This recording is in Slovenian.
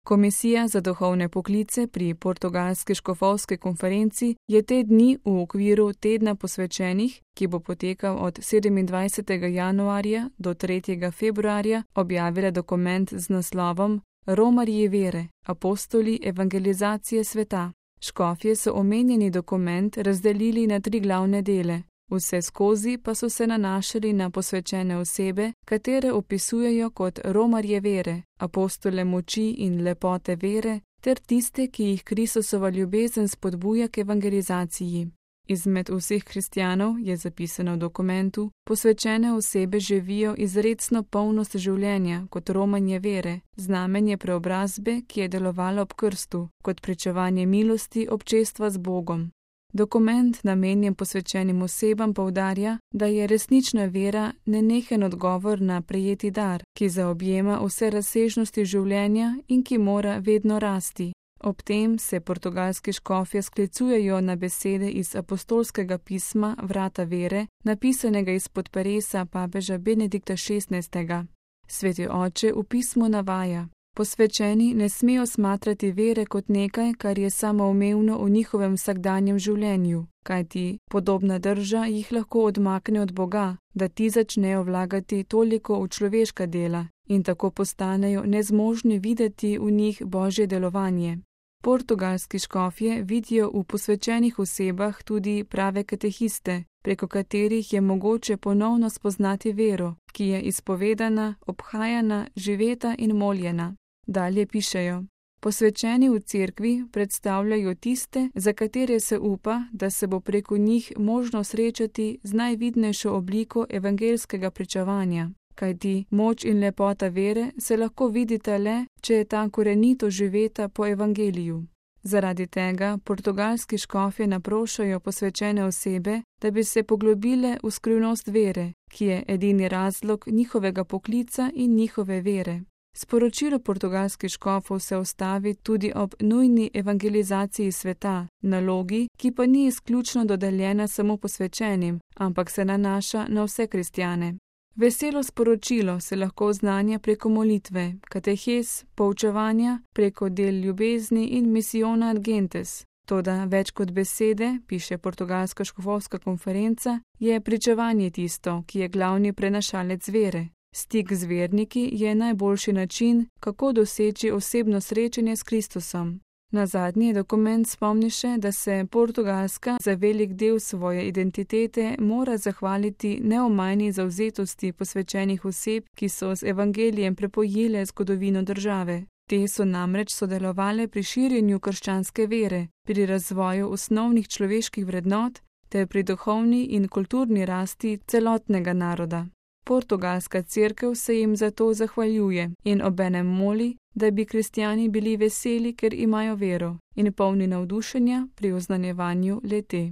Komisija za duhovne poklice pri Portugalski škofovski konferenci je te dni v okviru tedna posvečenih, ki bo potekal od 27. januarja do 3. februarja, objavila dokument z naslovom Romarji vere, apostoli evangelizacije sveta. Škofje so omenjeni dokument razdelili na 3 glavne dele. Vse skozi pa so se nanašali na posvečene osebe, katere opisujejo kot romarje vere, apostole moči in lepote vere, ter tiste, ki jih Kristusova ljubezen spodbuja k evangelizaciji. Izmed vseh kristjanov, je zapisano v dokumentu, posvečene osebe živijo izrecno polnost življenja kot romanje vere, znamenje preobrazbe, ki je delovalo ob krstu, kot pričevanje milosti občestva z Bogom. Dokument, namenjen posvečenim osebam, poudarja, da je resnična vera nenehen odgovor na prejeti dar, ki zaobjema vse razsežnosti življenja in ki mora vedno rasti. Ob tem se portugalski škofje sklicujejo na besede iz apostolskega pisma Vrata vere, napisanega izpod peresa papeža Benedikta XVI. Sveti oče v pismu navaja: posvečeni ne smejo smatrati vere kot nekaj, kar je samoumevno v njihovem vsakdanjem življenju, kajti podobna drža jih lahko odmakne od Boga, da ti začnejo vlagati toliko v človeška dela in tako postanejo nezmožni videti v njih Božje delovanje. Portugalski škofje vidijo v posvečenih osebah tudi prave katehiste, preko katerih je mogoče ponovno spoznati vero, ki je izpovedana, obhajana, živeta in moljena. Dalje pišejo: posvečeni v cerkvi predstavljajo tiste, za katere se upa, da se bo preko njih možno srečati z najvidnejšo obliko evangelskega pričevanja, kajti moč in lepota vere se lahko vidita le, če je ta korenito živeta po evangeliju. Zaradi tega portugalski škofje naprošajo posvečene osebe, da bi se poglobile v skrivnost vere, ki je edini razlog njihovega poklica in njihove vere. Sporočilo portugalskih škofov se ustavi tudi ob nujni evangelizaciji sveta, nalogi, ki pa ni izključno dodeljena samo posvečenim, ampak se nanaša na vse kristjane. Veselo sporočilo se lahko oznanja preko molitve, katehes, poučevanja, preko del ljubezni in misijona ad gentes. Toda več kot besede, piše Portugalska škofovska konferenca, je pričevanje tisto, ki je glavni prenašalec vere. Stik z verniki je najboljši način, kako doseči osebno srečanje s Kristusom. Nazadnje dokument spomni še, da se Portugalska za velik del svoje identitete mora zahvaliti neomajni zavzetosti posvečenih oseb, ki so z evangelijem prepojile zgodovino države. Te so namreč sodelovale pri širjenju krščanske vere, pri razvoju osnovnih človeških vrednot ter pri duhovni in kulturni rasti celotnega naroda. Portugalska cerkev se jim zato zahvaljuje in obenem moli, da bi kristjani bili veseli, ker imajo vero, in polni navdušenja pri oznanjevanju le-te.